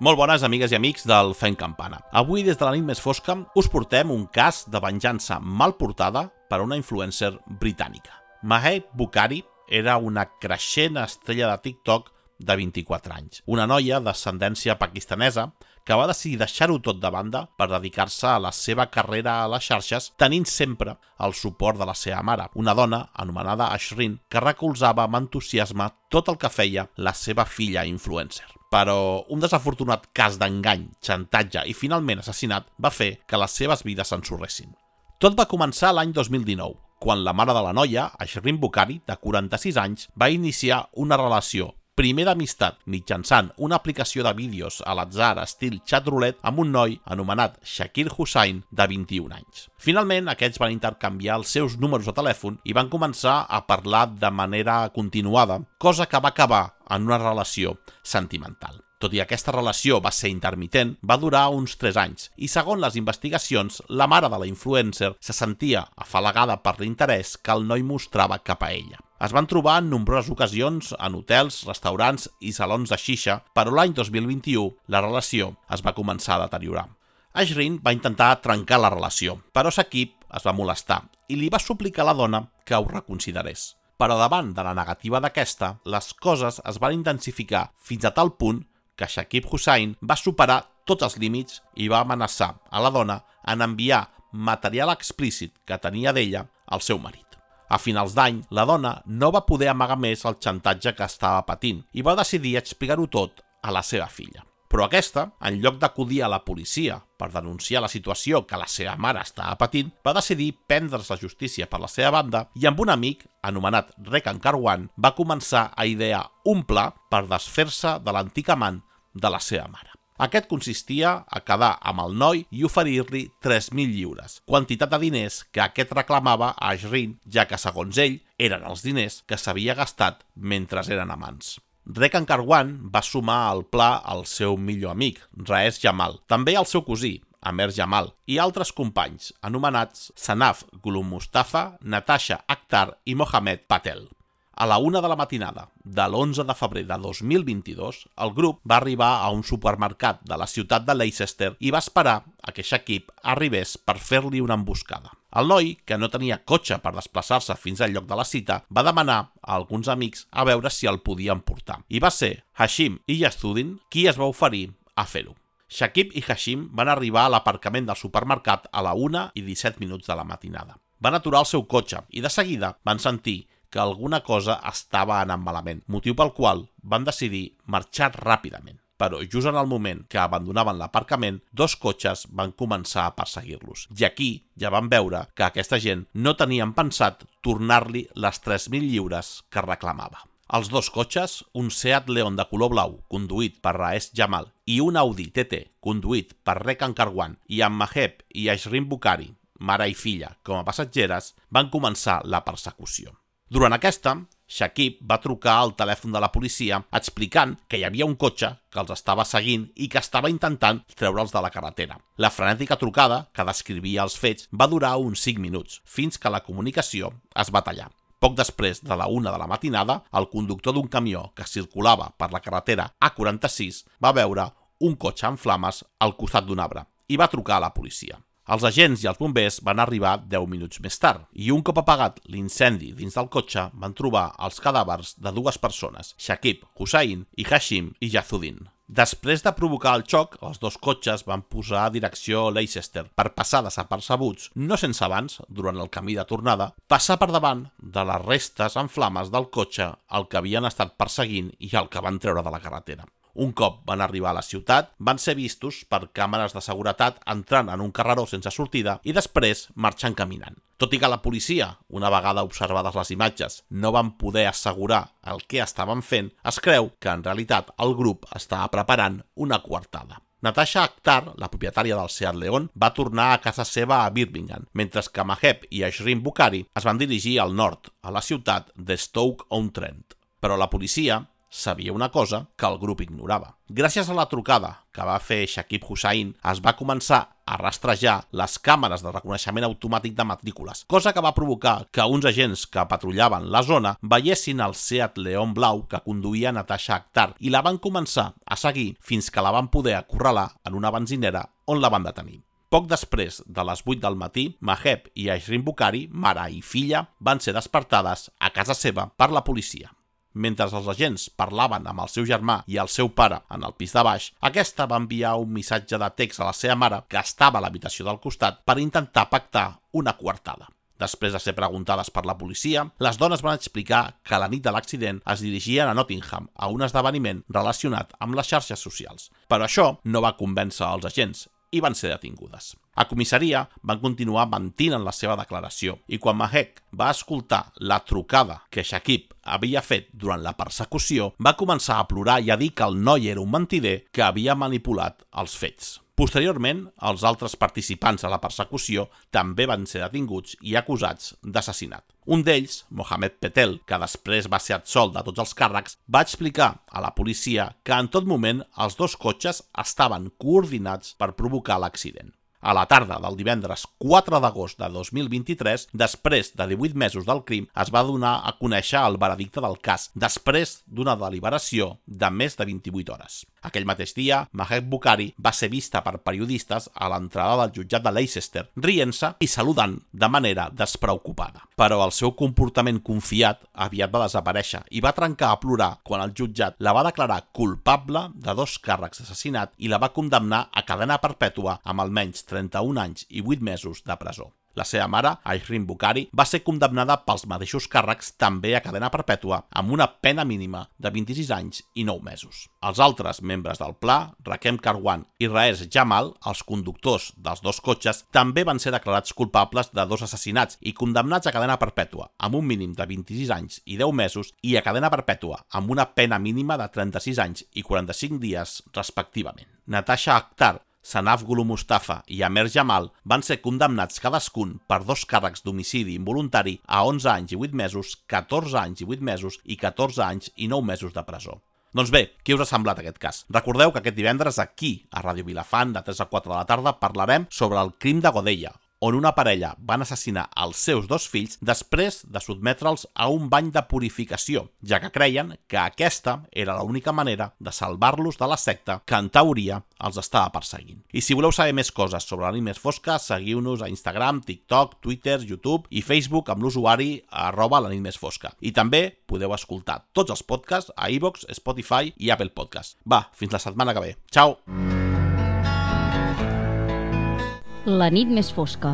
Molt bones amigues i amics del Fent Campana. Avui, des de la nit més fosca, us portem un cas de venjança mal portada per a una influencer britànica. Mahek Bukhari era una creixent estrella de TikTok de 24 anys. Una noia d'ascendència pakistanesa que va decidir deixar-ho tot de banda per dedicar-se a la seva carrera a les xarxes, tenint sempre el suport de la seva mare, una dona anomenada Ashrin, que recolzava amb entusiasme tot el que feia la seva filla influencer. Però un desafortunat cas d'engany, xantatge i finalment assassinat va fer que les seves vides s'ensorressin. Tot va començar l'any 2019, quan la mare de la noia, Ashrin Bukhari, de 46 anys, va iniciar una relació primer d'amistat mitjançant una aplicació de vídeos a l'atzar estil xat roulette amb un noi anomenat Shakir Hussain de 21 anys. Finalment, aquests van intercanviar els seus números de telèfon i van començar a parlar de manera continuada, cosa que va acabar en una relació sentimental. Tot i aquesta relació va ser intermitent, va durar uns 3 anys i, segons les investigacions, la mare de la influencer se sentia afalagada per l'interès que el noi mostrava cap a ella. Es van trobar en nombroses ocasions en hotels, restaurants i salons de xixa, però l'any 2021 la relació es va començar a deteriorar. Ashrin va intentar trencar la relació, però Shakib es va molestar i li va suplicar a la dona que ho reconsiderés. Però davant de la negativa d'aquesta, les coses es van intensificar fins a tal punt que Shakir Hussain va superar tots els límits i va amenaçar a la dona en enviar material explícit que tenia d'ella al seu marit. A finals d'any, la dona no va poder amagar més el xantatge que estava patint i va decidir explicar-ho tot a la seva filla. Però aquesta, en lloc d'acudir a la policia per denunciar la situació que la seva mare estava patint, va decidir prendre's la justícia per la seva banda i amb un amic, anomenat Rekan Karwan, va començar a idear un pla per desfer-se de l'antic amant de la seva mare. Aquest consistia a quedar amb el noi i oferir-li 3.000 lliures, quantitat de diners que aquest reclamava a Ashrin, ja que, segons ell, eren els diners que s'havia gastat mentre eren amants. Rekan Karwan va sumar al pla al seu millor amic, Raees Jamal, també al seu cosí, Amer Jamal, i altres companys, anomenats Sanaf Gulum Mustafa, Natasha Akhtar i Mohamed Patel. A la 1 de la matinada de l'11 de febrer de 2022, el grup va arribar a un supermercat de la ciutat de Leicester i va esperar a que Shakib arribés per fer-li una emboscada. El noi, que no tenia cotxe per desplaçar-se fins al lloc de la cita, va demanar a alguns amics a veure si el podien portar. I va ser Hashim i Yazuddin qui es va oferir a fer-ho. Shakib i Hashim van arribar a l'aparcament del supermercat a la 1:17 de la matinada. Van aturar el seu cotxe i de seguida van sentir que alguna cosa estava anant malament, motiu pel qual van decidir marxar ràpidament. Però just en el moment que abandonaven l'aparcament, 2 cotxes van començar a perseguir-los. I aquí ja van veure que aquesta gent no tenien pensat tornar-li les 3.000 lliures que reclamava. Els 2 cotxes, un Seat León de color blau, conduït per Raees Jamal, i un Audi TT, conduït per Rekan Karwan, i amb Mahek i Ashrin Bukhari, mare i filla, com a passatgeres, van començar la persecució. Durant aquesta, Shakib va trucar al telèfon de la policia explicant que hi havia un cotxe que els estava seguint i que estava intentant treure'ls de la carretera. La frenètica trucada, que descrivia els fets, va durar uns 5 minuts, fins que la comunicació es va tallar. Poc després de la 1 de la matinada, el conductor d'un camió que circulava per la carretera A46 va veure un cotxe en flames al costat d'un arbre i va trucar a la policia. Els agents i els bombers van arribar 10 minuts més tard i un cop apagat l'incendi dins del cotxe van trobar els cadàvers de 2 persones, Shakib Hussain i Hashim i Yazuddin. Després de provocar el xoc, els 2 cotxes van posar a direcció Leicester per passar desapercebuts, no sense abans, durant el camí de tornada, passar per davant de les restes en flames del cotxe al que havien estat perseguint i el que van treure de la carretera. Un cop van arribar a la ciutat, van ser vistos per càmeres de seguretat entrant en un carreró sense sortida i després marxant caminant. Tot i que la policia, una vegada observades les imatges, no van poder assegurar el que estaven fent, es creu que en realitat el grup estava preparant una coartada. Natasha Akhtar, la propietària del Seat León, va tornar a casa seva a Birmingham, mentre que Mahek i Ashrin Bukhari es van dirigir al nord, a la ciutat de Stoke-on-Trent. Però la policia sabia una cosa que el grup ignorava. Gràcies a la trucada que va fer Shakir Hussain, es va començar a rastrejar les càmeres de reconeixement automàtic de matrícules, cosa que va provocar que uns agents que patrullaven la zona veiessin el Seat León blau que conduïa Natasha Akhtar i la van començar a seguir fins que la van poder acorralar en una benzinera on la van detenir. Poc després de les 8 del matí, Maheb i Ayrin Bukhari, mare i filla, van ser despertades a casa seva per la policia. Mentre els agents parlaven amb el seu germà i el seu pare en el pis de baix, aquesta va enviar un missatge de text a la seva mare, que estava a l'habitació del costat, per intentar pactar una coartada. Després de ser preguntades per la policia, les dones van explicar que la nit de l'accident es dirigien a Nottingham a un esdeveniment relacionat amb les xarxes socials. Però això no va convèncer els agents i van ser detingudes. A comissaria van continuar mentint en la seva declaració i quan Maheb va escoltar la trucada que Shakib havia fet durant la persecució, va començar a plorar i a dir que el noi era un mentider que havia manipulat els fets. Posteriorment, els altres participants a la persecució també van ser detinguts i acusats d'assassinat. Un d'ells, Mohamed Petel, que després va ser absolt de tots els càrrecs, va explicar a la policia que en tot moment els dos cotxes estaven coordinats per provocar l'accident. A la tarda del divendres 4 d'agost de 2023, després de 18 mesos del crim, es va donar a conèixer el veredicte del cas, després d'una deliberació de més de 28 hores. Aquell mateix dia, Maheb Bukhari va ser vista per periodistes a l'entrada del jutjat de Leicester, rient-se i saludant de manera despreocupada. Però el seu comportament confiat aviat va desaparèixer i va trencar a plorar quan el jutjat la va declarar culpable de 2 càrrecs d'assassinat i la va condemnar a cadena perpètua amb almenys 31 anys i 8 mesos de presó. La seva mare, Ayrin Bukhari, va ser condemnada pels mateixos càrrecs també a cadena perpètua amb una pena mínima de 26 anys i 9 mesos. Els altres membres del pla, Rakem Karwan i Raees Jamal, els conductors dels 2 cotxes, també van ser declarats culpables de 2 assassinats i condemnats a cadena perpètua amb un mínim de 26 anys i 10 mesos i a cadena perpètua amb una pena mínima de 36 anys i 45 dies respectivament. Natasha Akhtar, Sanaf Gulu Mustafa i Amer Jamal van ser condemnats cadascun per 2 càrrecs d'homicidi involuntari a 11 anys i 8 mesos, 14 anys i 8 mesos i 14 anys i 9 mesos de presó. Doncs bé, què us ha semblat aquest cas? Recordeu que aquest divendres aquí, a Ràdio Vilafant, de 3 a 4 de la tarda, parlarem sobre el crim de Godella, on una parella van assassinar els seus 2 fills després de sotmetre'ls a un bany de purificació, ja que creien que aquesta era l'única manera de salvar-los de la secta que en teoria els estava perseguint. I si voleu saber més coses sobre la nit més fosca, seguiu-nos a Instagram, TikTok, Twitter, YouTube i Facebook amb l'usuari @lanitmesfosca. I també podeu escoltar tots els podcasts a iVoox, Spotify i Apple Podcasts. Va, fins la setmana que ve. Ciao! La nit més fosca.